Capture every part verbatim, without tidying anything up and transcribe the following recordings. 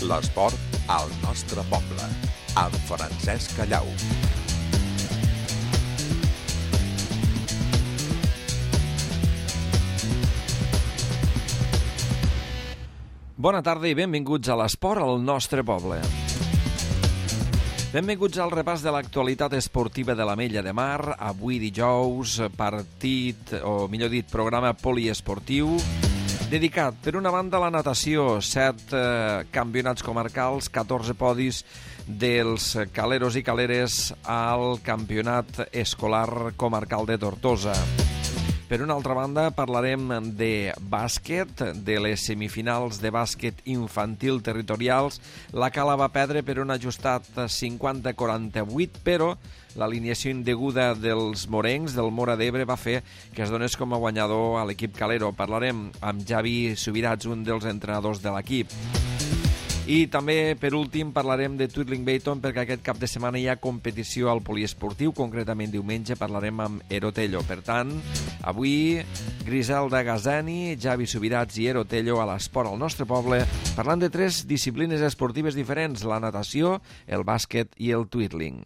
L'esport al nostre poble, amb Francesc Callau. Bona tarda i benvinguts a l'esport al nostre poble. Benvinguts al repàs de l'actualitat esportiva de l'Ametlla de Mar. Avui dijous, partit, o millor dit, programa poliesportiu, dedicat, per una banda, a la natació. Set eh, campionats comarcals, catorze podis dels caleros i caleres al campionat escolar comarcal de Tortosa. Per una altra banda, parlarem de bàsquet, de les semifinals de bàsquet infantil territorials. La Cala va perdre per un ajustat cinquanta a quaranta-vuit, però l'alineació indeguda dels morencs, del Móra d'Ebre, va fer que es donés com a guanyador a l'equip calero. Parlarem amb Javi Subirats, un dels entrenadors de l'equip. I també, per últim, parlarem de Twirling Bayton, perquè aquest cap de setmana hi ha competició al poliesportiu, concretament diumenge parlarem amb Erotello. Per tant, avui, Griselda Gazani, Javi Subirats i Erotello a l'esport al nostre poble, parlant de tres disciplines esportives diferents, la natació, el bàsquet i el twirling.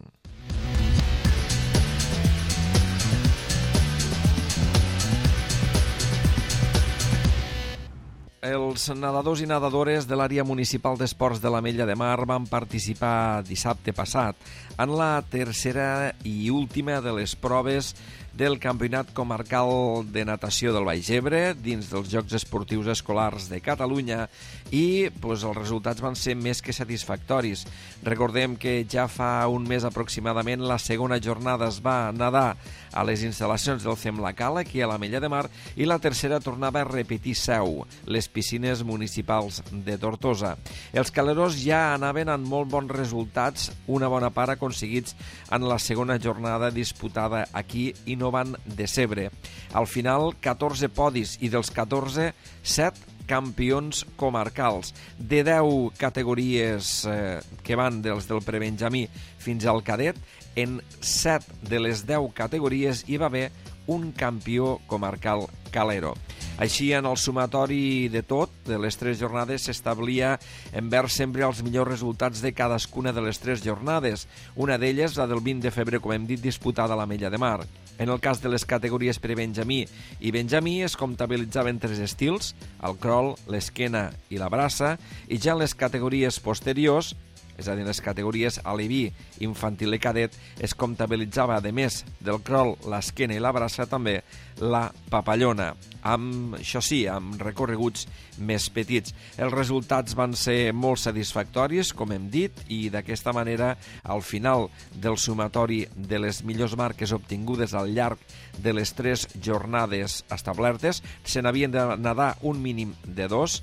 Els nedadors i nedadores de l'àrea municipal d'esports de l'Ametlla de Mar van participar dissabte passat en la tercera i última de les proves del Campionat Comarcal de Natació del Baix Ebre dins dels Jocs Esportius Escolars de Catalunya i pues, els resultats van ser més que satisfactoris. Recordem que ja fa un mes aproximadament la segona jornada es va nedar a les instal·lacions del C E M La Cala, aquí a l'Ametlla de Mar, i la tercera tornava a repetir seu, les piscines municipals de Tortosa. Els caleros ja anaven amb molt bons resultats, una bona part aconseguits en la segona jornada disputada aquí i no van decebre. Al final, catorze podis i dels catorze, set campions comarcals. De deu categories eh, que van dels del prebenjamí fins al cadet, en set de les deu categories hi va haver un campió comarcal calero. Així, en el sumatori de tot, de les tres jornades, s'establia envers sempre els millors resultats de cadascuna de les tres jornades. Una d'elles, la del vint de febrer, com hem dit, disputada a l'Ametlla de Mar. En el cas de les categories prebenjamí i benjamí es comptabilitzaven tres estils, el crawl, l'esquena i la braça, i ja en les categories posteriors, és a dir, les categories aleví, infantil i cadet, es comptabilitzava, a més del crawl, l'esquena i la braça, també la papallona, amb, això sí, amb recorreguts més petits. Els resultats van ser molt satisfactoris, com hem dit, i d'aquesta manera, al final del sumatori de les millors marques obtingudes al llarg de les tres jornades establertes, se n'havien de nedar un mínim de dos,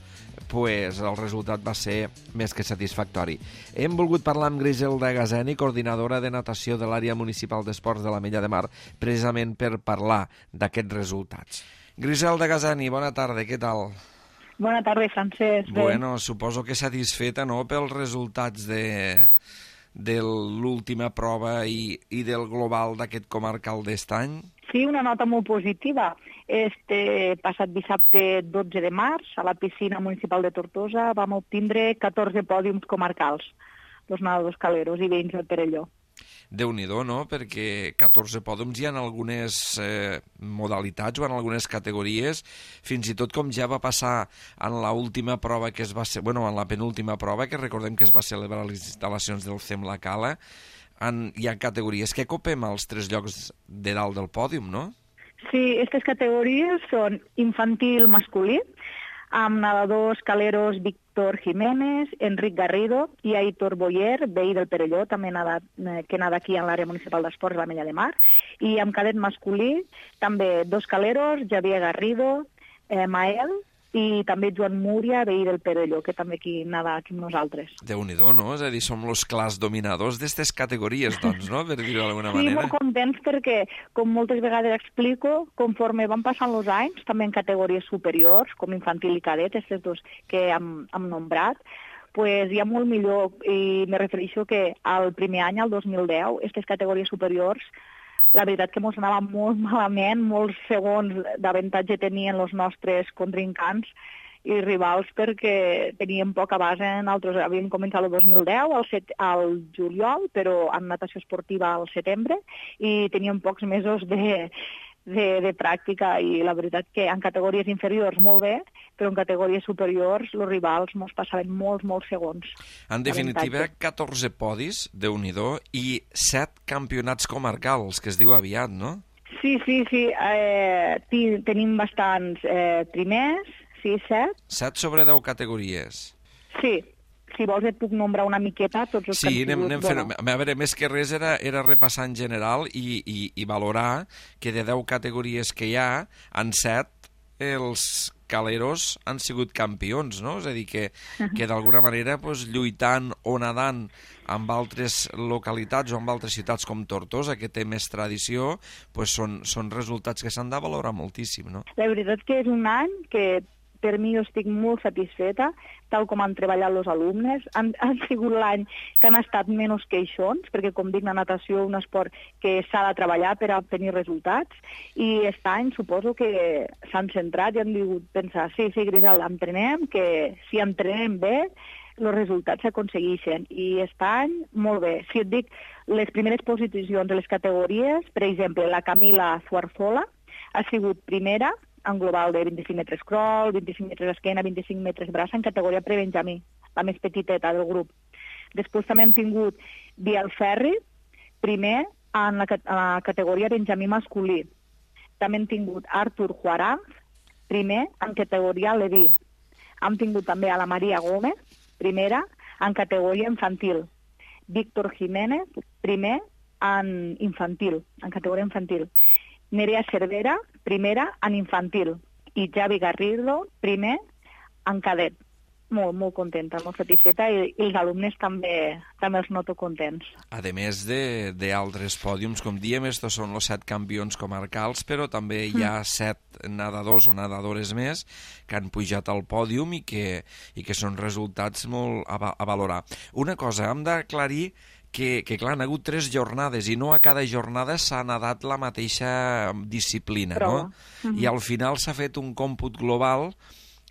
pues el resultat va ser més que satisfactori. Hem volgut parlar amb Griselda Gazani, coordinadora de natació de l'àrea municipal d'esports de l'Ametlla de Mar, precisament per parlar d'aquests resultats. Griselda Gazani, bona tarda, què tal? Bona tarda, Francesc. Bueno, suposo que satisfeta, no?, pels resultats de, de l'última prova i, i del global d'aquest comarcal d'est any? Sí, una nota molt positiva. Este passat dissabte dotze de març, a la piscina municipal de Tortosa, vam obtindre catorze pòdiums comarcals, els nedadors caleros i veïns del Perelló. Déu-n'hi-do, no?, perquè catorze pòdiums hi ha en algunes eh, modalitats o en algunes categories, fins i tot com ja va passar en l'última prova que es va ser, bueno, en la penúltima prova, que recordem que es va celebrar a les instal·lacions del C E M La Cala, en, hi ha categories que copem als tres llocs de dalt del pòdium, no? Sí, aquestes categories són infantil masculí, amb nedadors caleros Víctor Jiménez, Enric Garrido i Aitor Boyer, veí del Perelló, també nadat, que nada aquí en l'àrea municipal d'esports de l'Ametlla de Mar, i amb cadet masculí també dos caleros, Javier Garrido, eh, Mael, i també Joan Múria, veí del Perelló, que també aquí nada aquí amb nosaltres. Déu-n'hi-do, no? És a dir, som els clars dominadors d'aquestes categories, doncs, no?, per dir-ho d'alguna sí, manera. Sí, molt contents perquè, com moltes vegades explico, conforme van passant els anys, també en categories superiors, com infantil i cadet, aquests dos que hem, hem nombrat, pues hi ha molt millor, i me refereixo que al primer any, al dos mil deu, aquestes categories superiors, la veritat que ens anava molt malament, molts segons d'avantatge tenien els nostres contrincants, i rivals perquè teníem poca base. Nosaltres havíem començat el dos mil deu, al, set, al juliol, però en natació esportiva al setembre, i teníem pocs mesos de, de, de pràctica, i la veritat que en categories inferiors molt bé, però en categories superiors els rivals ens passaven molts, molts segons. En definitiva, catorze podis, Déu-n'hi-do, i set campionats comarcals, que es diu aviat, no? Sí, sí, sí. Eh, tenim bastants eh, primers, sí, set. Set sobre deu categories. Sí. Si vols et puc nombrar una miqueta tots els sí, que han anem, sigut. Anem fent, bueno. A veure, més que res era, era repassar en general i, i, i valorar que de deu categories que hi ha, en set els caleros han sigut campions, no? És a dir, que, que d'alguna manera pues, lluitant o nedant amb altres localitats o amb altres ciutats com Tortosa, que té més tradició, pues, són, són resultats que s'han de valorar moltíssim, no? La veritat que és un any que per mi jo estic molt satisfeta, tal com han treballat els alumnes. Han, han sigut l'any que han estat menys queixons, perquè, com dic, la natació és un esport que s'ha de treballar per a obtenir resultats, i aquest any suposo que s'han centrat i han dit pensar, sí, sí, Grisel, entrenem, que si entrenem bé, els resultats s'aconsegueixen. I aquest any, molt bé. Si et dic, les primeres posicions de les categories, per exemple, la Camila Zuarzola ha sigut primera, en global de vint-i-cinc metres crawl, vint-i-cinc metres esquena, vint-i-cinc metres braça, en categoria prebenjamí, la més petiteta del grup. Després també hem tingut Biel Ferri, primer en la, en la categoria benjamí masculí. També hem tingut Artur Juaranz, primer en categoria Leví. Hem tingut també a la Maria Gómez, primera en categoria infantil. Víctor Jiménez, primer en infantil, en categoria infantil. Nerea Cervera, primera en infantil, i Javi Garrido, primer en cadet. Molt, molt contenta, molt satisfeta, i, i els alumnes també també els noto contents. A més d'altres pòdiums, com diem, estos són els set campions comarcals, però també hi ha mm. set nedadors o nedadores més que han pujat al pòdium i que, i que són resultats molt a, a valorar. Una cosa, hem d'aclarir que, que clar, han hagut tres jornades i no a cada jornada s'ha nedat la mateixa disciplina, Prova. no? Mm-hmm. I al final s'ha fet un còmput global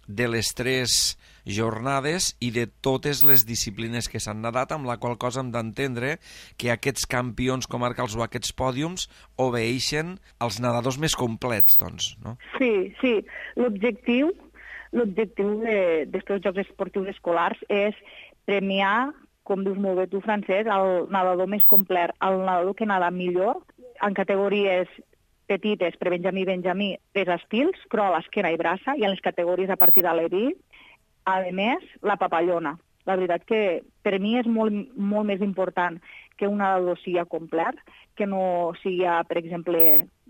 de les tres jornades i de totes les disciplines que s'han nedat, amb la qual cosa hem d'entendre que aquests campions comarcals o aquests pòdiums obeeixen als nedadors més complets, doncs, no? Sí, sí. L'objectiu l'objectiu d'aquests Jocs Esportius Escolars és premiar, com dius molt bé tu, Francesc, el nedador més complet, el nedador que nada millor en categories petites, prebenjamí i benjamí, tres estils, crawl, esquena i braça, i en les categories a partir de l'E D I, a més, la papallona. La veritat que per mi és molt, molt més important que un nedador sigui complet que no sigui, per exemple,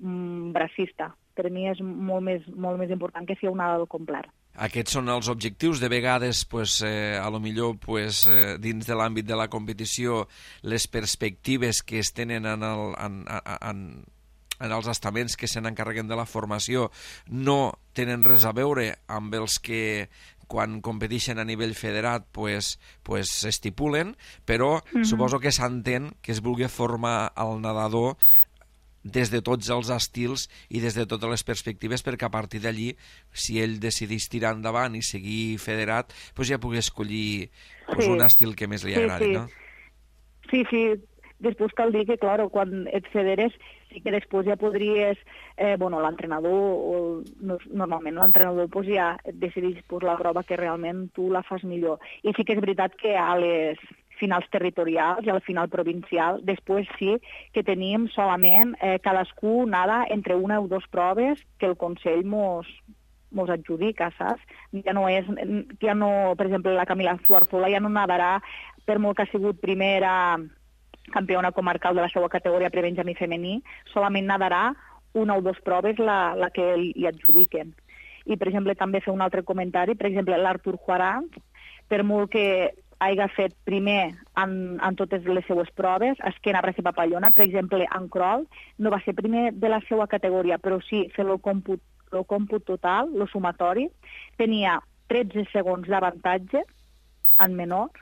un bracista. Per mi és molt més, molt més important que sigui un nedador complet. Aquests són els objectius. De vegades, pues, eh, a lo millor, pues, eh, dins de l'àmbit de la competició, les perspectives que es tenen en, el, en, en, en els estaments que se n'encarreguen de la formació no tenen res a veure amb els que quan competeixen a nivell federat pues, pues s'estipulen, però mm-hmm. suposo que s'entén que es vulgui formar el nedador des de tots els estils i des de totes les perspectives, perquè a partir d'allí, si ell decidís tirar endavant i seguir federat, pues ja pugui escollir pues, sí. un estil que més li agradi, sí, sí. no? Sí, sí. Després cal dir que, clar, quan et federes, sí que després ja podries... Eh, bueno, l'entrenador, o, no, normalment l'entrenador pues, ja et decideix pues, la prova que realment tu la fas millor. I sí que és veritat que a les finals territorials i al final provincial, després sí que tenim solament eh, cadascú nada entre una o dues proves que el Consell mos, mos adjudica, saps? Ja no és... Ja no, per exemple, la Camila Zuarzola ja no nadarà, per molt que ha sigut primera campiona comarcal de la seva categoria prebenjamí femení, solament nadarà una o dues proves la, la que li adjudiquen. I, per exemple, també fer un altre comentari, per exemple, l'Artur Juaranz, per molt que hagi fet primer en, en totes les seues proves, esquena, braç i papallona, per exemple, en crawl, no va ser primer de la seva categoria, però sí fer el còmput, el còmput total, el sumatori, tenia tretze segons d'avantatge en menor,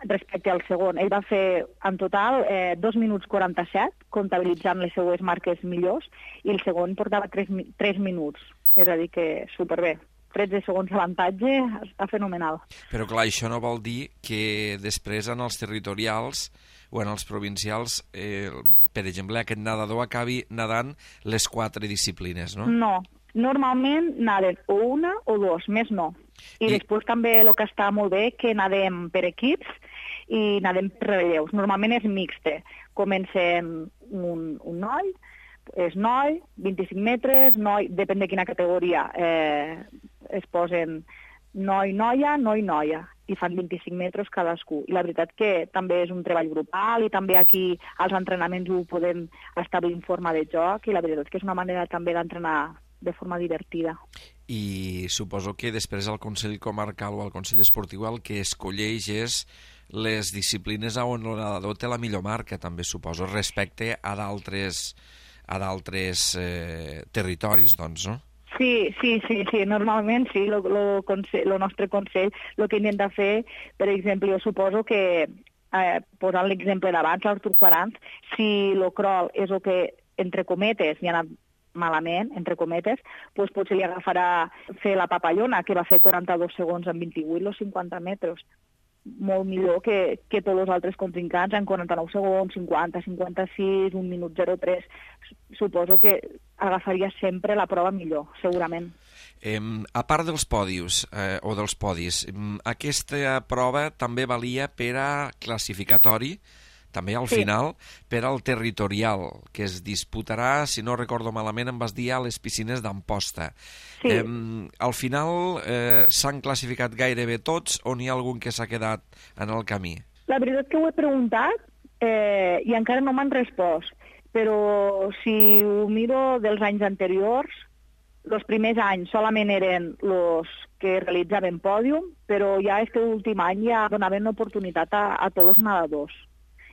respecte al segon. Ell va fer en total eh, dos minuts quaranta-set, comptabilitzant les seues marques millors, i el segon portava tres, tres minuts. És a dir, que superbé. tretze segons d'avantatge, està fenomenal. Però clar, això no vol dir que després en els territorials o en els provincials, eh, per exemple, aquest nedador acabi nedant les quatre disciplines, no? No, normalment naden o una o dos, més no. I, I després també el que està molt bé que nadem per equips i nadem per relleus. Normalment és mixte. Comencem un, un noi, és noi, vint-i-cinc metres, noi, depèn de quina categoria, eh, es posen noi, noia, noi, noia, i fan vint-i-cinc metres cadascú. I la veritat que també és un treball grupal i també aquí als entrenaments ho podem establir en forma de joc i la veritat que és una manera també d'entrenar de forma divertida. I suposo que després el Consell Comarcal o el Consell Esportiu el que escolleix és les disciplines on el nedador té la millor marca, també suposo, respecte a d'altres a d'altres eh, territoris, doncs, no? Sí, sí, sí, sí, normalment sí, el nostre Consell el que intenta fer, per exemple, jo suposo que, eh, posant l'exemple d'abans, l'Artur Quarants, si el crawl és el que, entre cometes, hi ha anat malament, entre cometes, doncs potser li agafarà fer la papallona, que va fer quaranta-dos segons en vint-i-vuit, els cinquanta metres. Molt millor que, que tots els altres contrincants en quaranta-nou segons, cinquanta, cinquanta-sis, un minut zero tres. Suposo que agafaria sempre la prova millor, segurament. Eh, a part dels pòdios, eh, o dels podis, aquesta prova també valia per a classificatori, també al Sí. final, per al territorial, que es disputarà, si no recordo malament, em vas dir a les piscines d'Amposta. Sí. Eh, al final eh, s'han classificat gairebé tots o n'hi ha algun que s'ha quedat en el camí? La veritat que ho he preguntat eh, i encara no m'han respost, però si ho miro dels anys anteriors, els primers anys solament eren els que realitzaven pòdium, però ja és que l'últim any ja donaven oportunitat a, a tots els nedadors.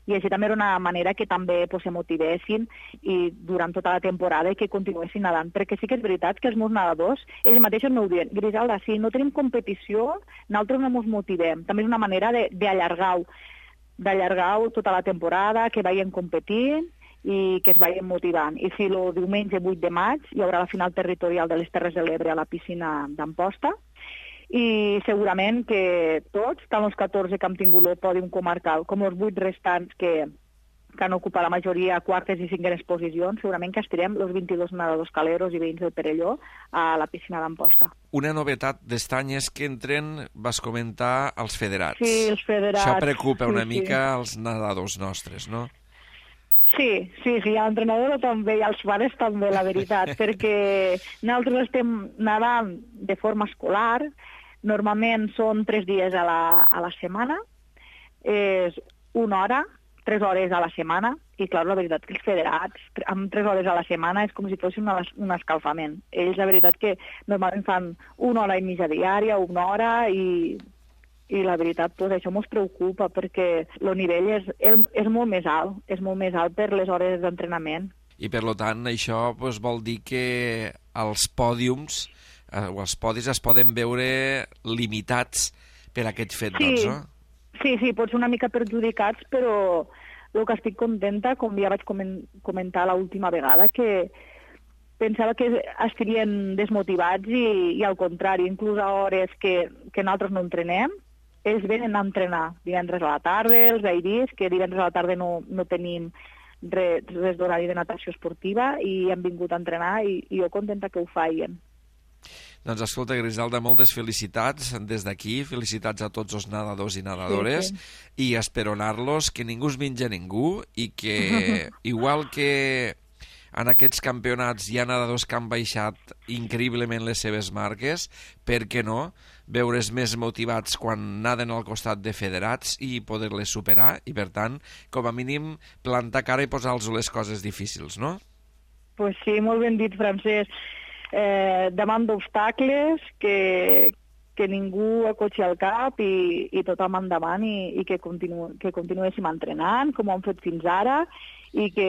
I així també era una manera que també pues, se motivessin i durant tota la temporada i que continuessin nedant. Perquè sí que és veritat que els meus nedadors, ells mateixos m'ho diuen, Griselda, si no tenim competició, nosaltres no ens motivem. També és una manera d'allargar-ho, d'allargar-ho tota la temporada, que vagin competint i que es vagin motivant. I si el diumenge vuit de maig hi haurà la final territorial de les Terres de l'Ebre a la piscina d'Amposta, i segurament que tots, tant els catorze que hem tingut el pòdium comarcal com els vuit restants que, que han ocupat la majoria quartes i cinquenes posicions, segurament que estirem els vint-i-dos nedadors caleros i veïns del Perelló a la piscina d'Amposta. Una novetat d'estany és que entren, vas comentar, els federats. Sí, els federats. Això preocupa una sí, mica sí. els nedadors nostres, no? Sí, sí, sí, l'entrenador també i els pares també, la veritat, perquè nosaltres estem nedant de forma escolar, normalment són tres dies a la, a la setmana, és una hora, tres hores a la setmana, i clar, la veritat que els federats, amb tres hores a la setmana és com si fos una, un escalfament. Ells, la veritat que normalment fan una hora i mitja diària, una hora, i, i la veritat, doncs, això ens preocupa, perquè el nivell és, és molt més alt, és molt més alt per les hores d'entrenament. I per tant, això doncs, vol dir que els pòdiums eh, o els podis es poden veure limitats per aquest fet, Sí. doncs, no? Sí, sí, pots ser una mica perjudicats, però el que estic contenta, com ja vaig comentar l'última vegada, que pensava que estarien desmotivats i, i al contrari, inclús a hores que, que nosaltres no entrenem, ells venen a entrenar divendres a la tarda, els veiris, que divendres a la tarda no, no tenim res, res d'horari de natació esportiva i han vingut a entrenar i, i jo contenta que ho feien. Doncs escolta, Griselda, moltes felicitats des d'aquí, felicitats a tots els nedadors i nedadores, sí, sí. I esperonar-los que ningú es menja ningú i que, igual que en aquests campionats hi ha nedadors que han baixat increïblement les seves marques, per què no veure's més motivats quan naden al costat de federats i poder-les superar i, per tant, com a mínim, plantar cara i posar-los les coses difícils, no? Pues sí, molt ben dit, Francesc. Eh, davant d'obstacles que, que ningú acotxi al cap i, i tothom endavant i, i que, continu, que continuéssim entrenant com ho hem fet fins ara i que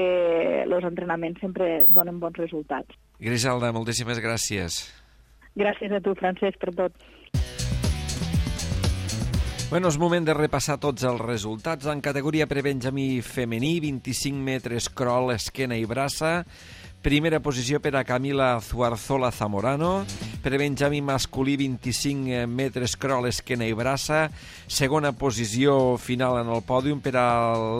els entrenaments sempre donen bons resultats. Griselda, moltíssimes gràcies. Gràcies a tu, Francesc, per tot. Bueno, és moment de repassar tots els resultats. En categoria prebenjamí femení, vint-i-cinc metres crawl, esquena i braça, Primera posició per a Camila Zuarzola Zamorano. Per benjamí masculí, vint-i-cinc metres crawl, esquena i braça. Segona posició final en el pòdium per a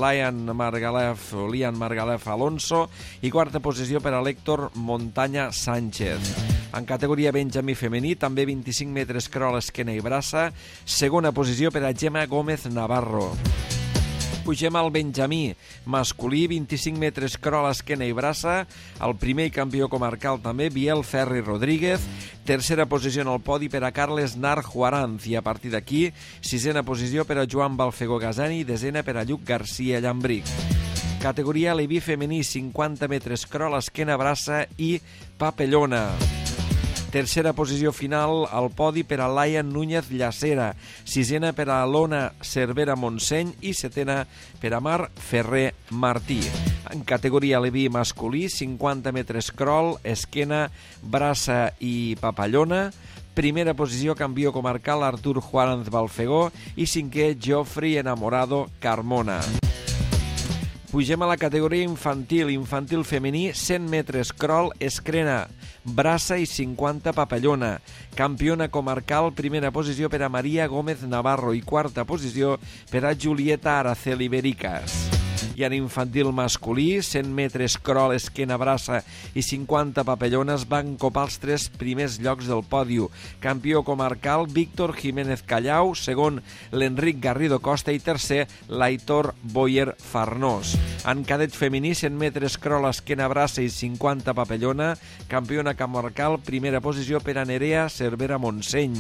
Lian Margalef, Lian Margalef Alonso. I quarta posició per a l'Héctor Montaña Sánchez. En categoria benjamí femení, també vint-i-cinc metres crawl, esquena i braça. Segona posició per a Gemma Gómez Navarro. Pugem al benjamí masculí, vint-i-cinc metres crawl, esquena i braça. El primer campió comarcal també, Biel Ferri Rodríguez. Tercera posició en el podi per a Carles Nar Juaranz. I a partir d'aquí, sisena posició per a Joan Balfegó Gasani i desena per a Lluc Garcia Llambric. Categoria Leví femení, cinquanta metres crawl, esquena, braça i papellona. Tercera posició final al podi per a Laia Núñez Llacera, sisena per a Lona Cervera Montseny i setena per a Mar Ferrer Martí. En categoria Leví masculí, cinquanta metres crawl, esquena, braça i papallona. Primera posició, campió comarcal Artur Juaranz Balfegó i cinquè, Geoffrey Enamorado Carmona. Pugem a la categoria infantil, infantil femení, cent metres crawl, esquena, braça i cinquanta papallona. Campiona comarcal, primera posició per a Maria Gómez Navarro i quarta posició per a Julieta Araceli Bericas. I en infantil masculí, cent metres crawl, esquena, braça i cinquanta papallones van copar els tres primers llocs del pòdio. Campió comarcal, Víctor Jiménez Callau, segon, l'Enric Garrido Costa i tercer, l'Aitor Boyer Farnós. En cadet femení, cent metres crawl, esquena, braça i cinquanta papallona, campiona comarcal, primera posició per a Nerea Cervera Montseny.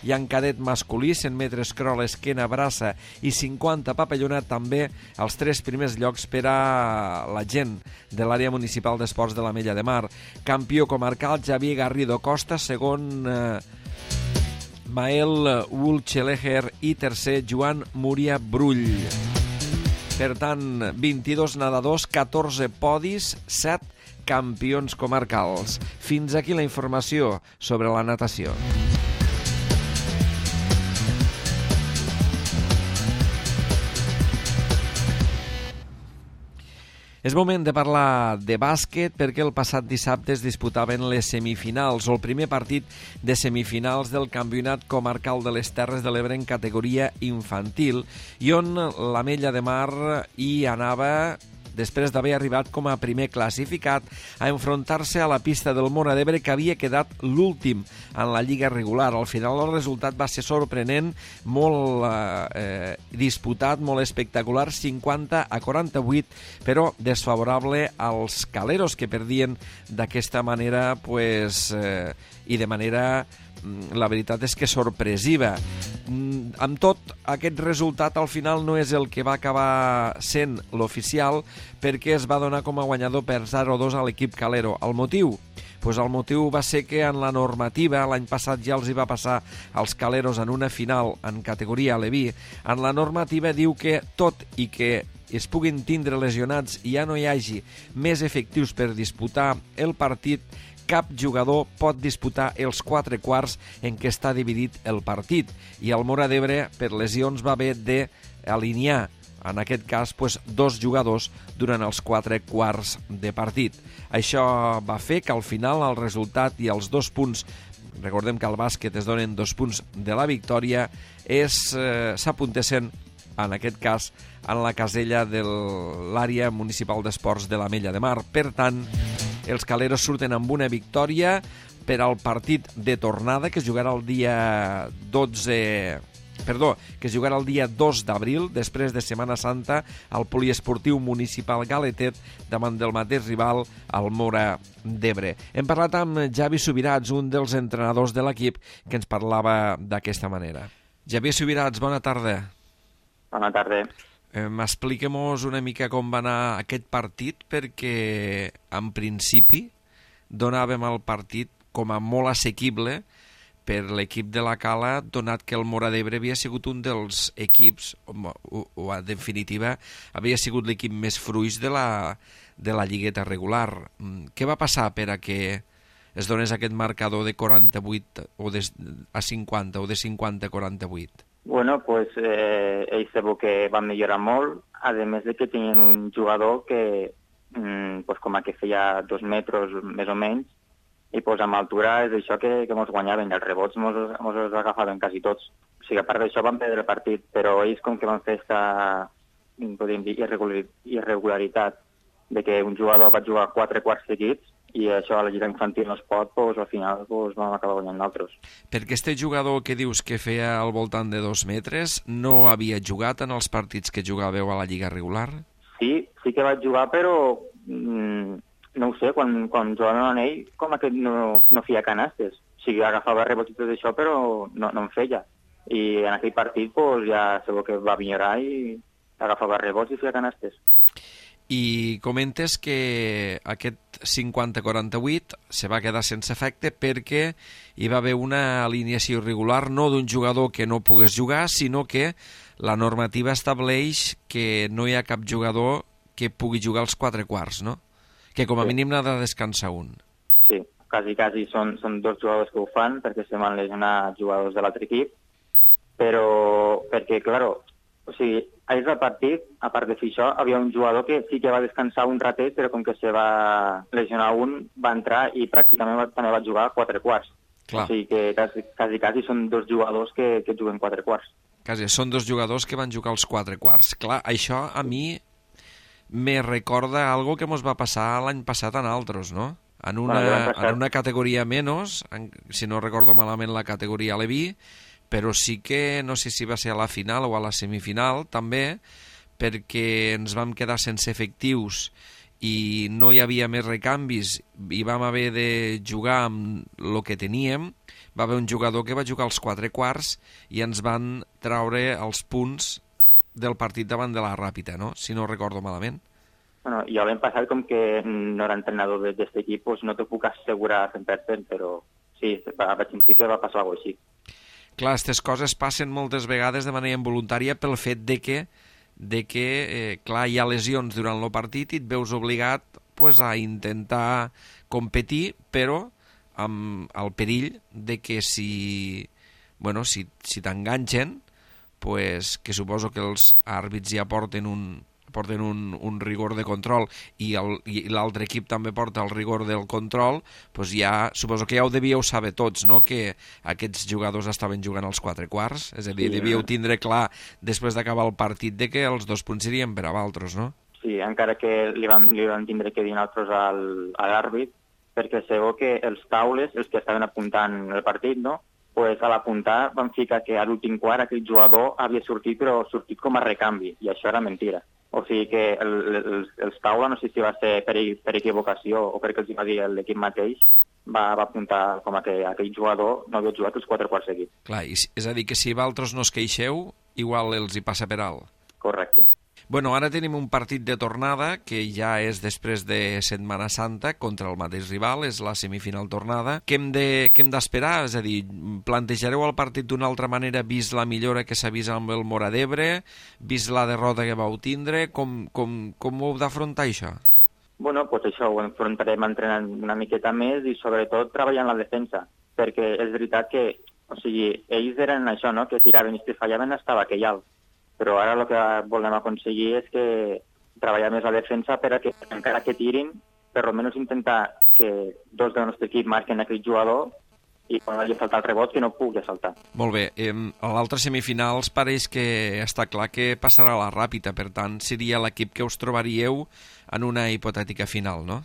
I en cadet masculí, cent metres crawl, esquena, braça i cinquanta papallona, també els tres primers llocs per a la gent de l'àrea municipal d'esports de l'Ametlla de Mar. Campió comarcal, Javier Garrido Costa, segon eh, Mael Wulcheleger i tercer, Joan Múria Brull. Per tant, vint-i-dos nedadors, catorze podis, set campions comarcals. Fins aquí la informació sobre la natació. És moment de parlar de bàsquet perquè el passat dissabte es disputaven les semifinals, o el primer partit de semifinals del Campionat Comarcal de les Terres de l'Ebre en categoria infantil, i on l'Ametlla de Mar hi anava, després d'haver arribat com a primer classificat, a enfrontar-se a la pista del Móra d'Ebre, que havia quedat l'últim en la lliga regular. Al final el resultat va ser sorprenent, molt eh, disputat, molt espectacular, cinquanta a quaranta-vuit, però desfavorable als caleros, que perdien d'aquesta manera, pues, eh, i de manera, la veritat és que sorpresiva. Amb tot, aquest resultat al final no és el que va acabar sent l'oficial, perquè es va donar com a guanyador per zero a dos a l'equip calero. El motiu? Pues el motiu va ser que en la normativa, l'any passat ja els hi va passar als caleros en una final en categoria Leví, en la normativa diu que tot i que es puguin tindre lesionats i ja no hi hagi més efectius per disputar el partit, cap jugador pot disputar els quatre quarts en què està dividit el partit, i el Móra d'Ebre per lesions va haver d'alinear, en aquest cas, pues, dos jugadors durant els quatre quarts de partit. Això va fer que al final el resultat i els dos punts, recordem que al bàsquet es donen dos punts de la victòria, és, eh, s'apuntessin, en aquest cas, en la casella de l'àrea municipal d'esports de l'Ametlla de Mar. Per tant, els caleros surten amb una victòria per al partit de tornada, que es jugarà el dia dotze... Perdó, que es jugarà el dia dos d'abril, després de Setmana Santa, al poliesportiu municipal Galetet, davant del mateix rival, el Móra d'Ebre. Hem parlat amb Javi Subirats, un dels entrenadors de l'equip, que ens parlava d'aquesta manera. Javi Subirats, bona tarda. Bona tarda. Eh, Expliquem-nos una mica com va anar aquest partit, perquè en principi donàvem el partit com a molt assequible per l'equip de la Cala, donat que el Móra d'Ebre havia sigut un dels equips, o, o en definitiva, havia sigut l'equip més fruix de la, de la lligueta regular. Què va passar per a que es donés aquest marcador de quaranta-vuit o de, a cinquanta o de cinquanta a quaranta-vuit? Bueno, pues eh, ells sabeu que van millorar molt, a més de que tenien un jugador que mmm, pues, com a que feia dos metres més o menys, i pues, amb altura és això que, que mos guanyaven, els rebots mos, mos els agafaven quasi tots. O sigui, a part d'això van perdre el partit, però ells com que van fer aquesta, podríem dir, irregularitat de que un jugador va jugar quatre quarts seguits i això a la lliga infantil no es pot, doncs al final doncs, vam acabar guanyant nosaltres. Perquè este jugador que dius que feia al voltant de dos metres no havia jugat en els partits que jugàveu a la lliga regular? Sí, sí que vaig jugar, però mmm, no ho sé, quan, quan jugàvem amb ell com que no, no feia canastes. O sigui, agafava rebots i tot això, però no, no en feia. I en aquell partit doncs, ja segur que va millorar i agafava rebots i feia canastes. I comentes que aquest cinquanta quaranta-vuit se va quedar sense efecte perquè hi va haver una alineació irregular, no d'un jugador que no pogués jugar, sinó que la normativa estableix que no hi ha cap jugador que pugui jugar als quatre quarts, no? Que com a sí. mínim n'ha de descansar un. Sí, quasi, quasi són, són dos jugadors que ho fan perquè se van lesionar jugadors de l'altre equip, però perquè, claro, o sigui, ahir del partit, a part de fer això, havia un jugador que sí que va descansar un ratet, però com que se va lesionar un, va entrar i pràcticament va, també va jugar quatre quarts. Clar. O sigui que quasi, quasi, quasi són dos jugadors que, que juguen quatre quarts. Quasi, són dos jugadors que van jugar els quatre quarts. Clar, això a mi me recorda algo que mos va passar l'any passat en altres, no? En una, bueno, en una categoria menys, en, si no recordo malament la categoria Leví, però sí que no sé si va ser a la final o a la semifinal també, perquè ens vam quedar sense efectius i no hi havia més recanvis i vam haver de jugar amb el que teníem. Va haver un jugador que va jugar als quatre quarts i ens van traure els punts del partit davant de la Ràpita, no? Si no recordo malament. Bueno, jo l'any passat, com que no era entrenador d'aquest equip, pues no t'ho puc assegurar cent per cent, però sí, vaig sentir que va passar alguna cosa així. Clar, aquestes coses passen moltes vegades de manera involuntària pel fet de que, de que eh, clar, hi ha lesions durant el partit i et veus obligat pues, a intentar competir, però amb el perill de que si, bueno, si, si t'enganxen, pues, que suposo que els àrbits ja porten un, porten un, un rigor de control i l'altre equip també porta el rigor del control, doncs ja, suposo que ja ho devíeu saber tots, no?, que aquests jugadors estaven jugant als quatre quarts, és a dir, sí, devíeu tindre clar després d'acabar el partit de que els dos punts serien per a Valtros, no? Sí, encara que li vam, li vam tindre que dir nosaltres al, a l'àrbit, perquè segur que els taules, els que estaven apuntant el partit, no?, pues a l'apuntar van ficar que a l'últim quart aquell jugador havia sortit, però sortit com a recanvi, i això era mentira. O sigui que el, els, els taula, no sé si va ser per, per equivocació o perquè els va dir l'equip mateix, va, va apuntar com a que aquell jugador no havia jugat els quatre quarts seguits. Clar, és a dir, que si Valtros no es queixeu, igual els hi passa per alt. Correcte. Bueno, ara tenim un partit de tornada que ja és després de Setmana Santa contra el mateix rival, és la semifinal tornada. Què hem de, què hem d'esperar? És a dir, plantejareu el partit d'una altra manera vist la millora que s'ha vist amb el Móra d'Ebre, vist la derrota que vau tindre? Com, com, com ho heu d'afrontar, això? Bueno, pues això ho enfrontarem entrenant una miqueta més i sobretot treballant la defensa, perquè és veritat que, o sigui, ells eren això, no?, que tiraven i si fallaven estava aquell alt. Però ara el que volem aconseguir és que treballar més la defensa per a que, encara que tirin, per almenys intentar que dos del nostre equip marquen aquell jugador i quan hagi saltat el rebot que no pugui saltar. Molt bé. Eh, a l'altre semifinals pareix que està clar que passarà la Ràpita, per tant seria l'equip que us trobaríeu en una hipotètica final, no?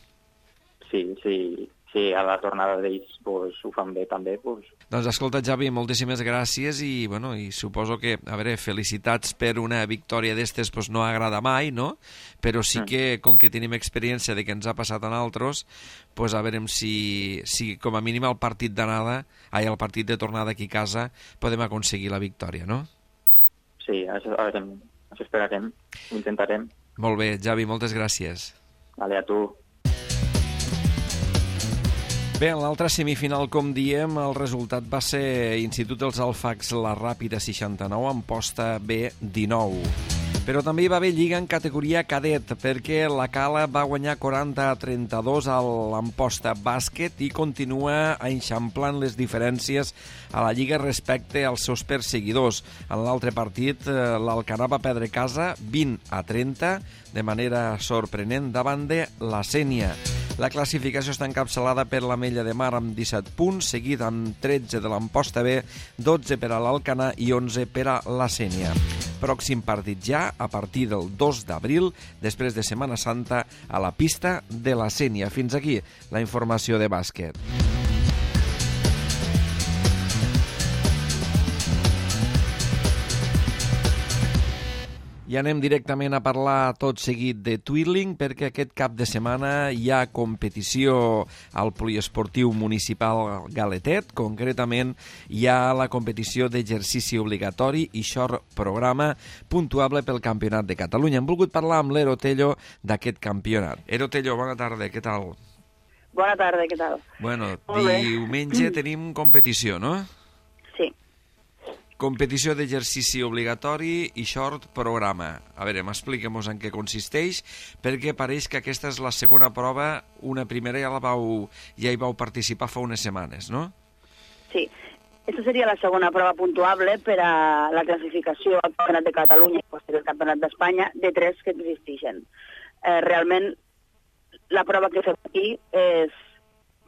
Sí, sí. Si a la tornada d'ells pues, ho fan bé també, doncs... Doncs escolta, Javi, moltíssimes gràcies i, bueno, i suposo que, a veure, felicitats per una victòria d'estes, pues, no agrada mai, no? Però sí que, com que tenim experiència de que ens ha passat en altres, pues, a veure si, si com a mínim el partit d'anada, ai, el partit de tornada aquí a casa, podem aconseguir la victòria, no? Sí, això, a veure, això esperarem, ho intentarem. Molt bé, Javi, moltes gràcies. Vale, a tu. Bé, en l'altra semifinal, com diem, el resultat va ser Institut dels Alfacs, la Ràpita seixanta-nou, en posta B dinou. Però també hi va haver lliga en categoria cadet, perquè la Cala va guanyar quaranta a trenta-dos a l'Amposta Bàsquet i continua eixamplant les diferències a la lliga respecte als seus perseguidors. En l'altre partit, l'Alcanar va perdre casa vint a trenta, de manera sorprenent, davant de la Sénia. La classificació està encapçalada per l'Ametlla de Mar amb disset punts, seguit amb tretze de l'Amposta B, dotze per a l'Alcanar i onze per a la Sénia. Pròxim partit ja, a partir del dos d'abril, després de Setmana Santa, a la pista de la Sénia. Fins aquí la informació de bàsquet. I anem directament a parlar tot seguit de Twirling, perquè aquest cap de setmana hi ha competició al Poliesportiu Municipal Galetet. Concretament, hi ha la competició d'exercici obligatori i short programa puntuable pel Campionat de Catalunya. Hem volgut parlar amb l'Ero Tello d'aquest campionat. Ero Tello, bona tarda, què tal? Bona tarda, què tal? Bueno, diumenge tenim competició, no? Sí. Competició d'exercici obligatori i short programa. A veure, m'expliquem-nos en què consisteix, perquè pareix que aquesta és la segona prova. Una primera ja la vau, ja hi vau participar fa unes setmanes, no? Sí. Aquesta seria la segona prova puntuable per a la classificació al Campionat de Catalunya i posterior al Campionat d'Espanya de tres que existeixen. Eh, realment, la prova que fem aquí és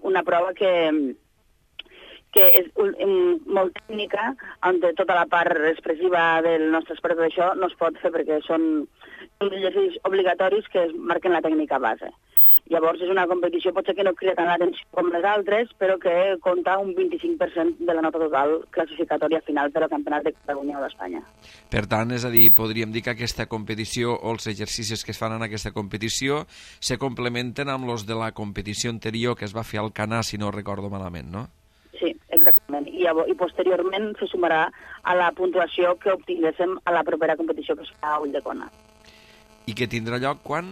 una prova que... que és molt tècnica, on tota la part expressiva del nostre esport d'això no es pot fer perquè són exercicis obligatoris que es marquen la tècnica base. Llavors és una competició potser que no crida tant l'atenció com les altres, però que compta un vint-i-cinc per cent de la nota total classificatòria final per al Campionat de Catalunya o d'Espanya. Per tant, és a dir, podríem dir que aquesta competició o els exercicis que es fan en aquesta competició se complementen amb els de la competició anterior que es va fer al Canà, si no recordo malament, no? Sí, exactament. I, I posteriorment se sumarà a la puntuació que obtinguéssim a la propera competició que es fa a Ulldecona. I que tindrà lloc quan?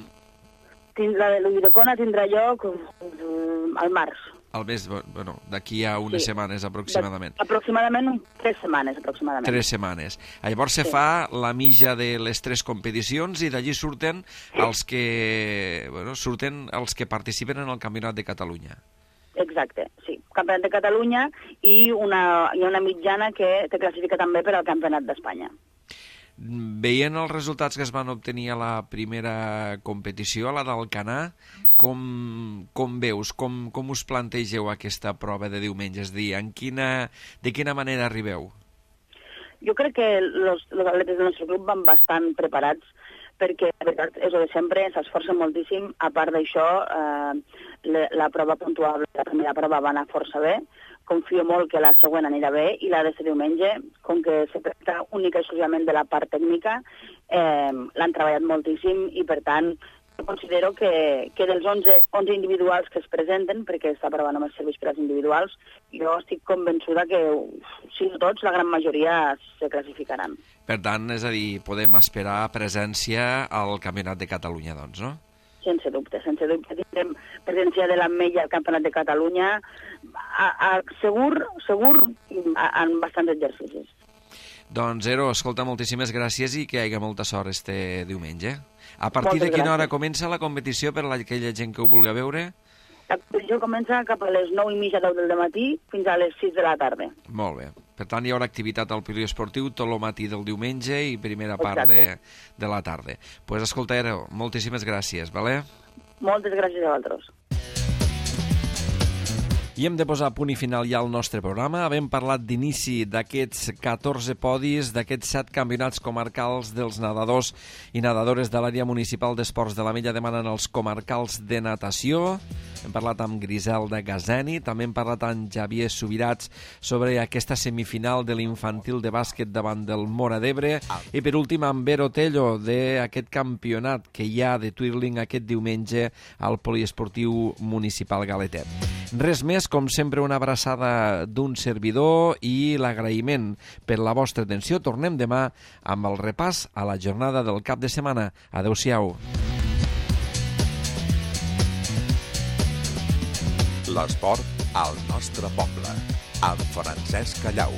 La de l'Ulldecona tindrà lloc al març. Al mes, bueno, d'aquí a unes sí. setmanes aproximadament. De, aproximadament tres setmanes, aproximadament. Tres setmanes. Llavors se sí. fa la mitja de les tres competicions i d'allí surten els que, bueno, surten els que participen en el Campionat de Catalunya. Exacte, sí. Campionat de Catalunya i una, hi ha una mitjana que te classifica també per al Campionat d'Espanya. Veient els resultats que es van obtenir a la primera competició, a la d'Alcanar, com, com veus, com, com us plantegeu aquesta prova de diumenge? És a dir, en quina, de quina manera arribeu? Jo crec que els atletes del nostre club van bastant preparats perquè, la veritat, és el de sempre, s'esforcen moltíssim. A part d'això, eh, la, la prova puntuable, la primera prova va anar força bé. Confio molt que la següent anirà bé i la de ser diumenge, com que se tracta única i exclusivament de la part tècnica, eh, l'han treballat moltíssim i, per tant, considero que, que dels onze, onze individuals que es presenten, perquè aquesta prova només serveix per als individuals, jo estic convençuda que, si no tots, la gran majoria se classificaran. Per tant, és a dir, podem esperar presència al Campionat de Catalunya, doncs, no? Sense dubte, sense dubte. Tindrem presència de l'Ametlla al Campionat de Catalunya, a, a, segur, segur, a, en bastants exercicis. Doncs, Ero, escolta, moltíssimes gràcies i que hi hagi molta sort este diumenge. A partir de quina hora comença la competició per a aquella gent que ho vulgui veure? La competició comença cap a les nou i mitja, deu del matí, fins a les sis de la tarda. Molt bé. Per tant, hi haurà activitat al poliesportiu tot el matí del diumenge i primera part de, de la tarda. Doncs pues, escolta, Ero, moltíssimes gràcies, vale? Moltes gràcies a vosaltres. I hem de posar punt i final ja al nostre programa. Havem parlat d'inici d'aquests catorze podis, d'aquests set campionats comarcals dels nedadors i nedadores de l'àrea municipal d'esports de l'Ametlla de Mar en els comarcals de natació. Hem parlat amb Griselda Gazeni, també hem parlat amb Javier Subirats sobre aquesta semifinal de l'infantil de bàsquet davant del Móra d'Ebre i per últim amb Ero Tello d'aquest campionat que hi ha de twirling aquest diumenge al Poliesportiu Municipal Galetet. Res més, com sempre, una abraçada d'un servidor i l'agraïment per la vostra atenció. Tornem demà amb el repàs a la jornada del cap de setmana. Adéu-siau. L'esport al nostre poble, amb Francesc Callau.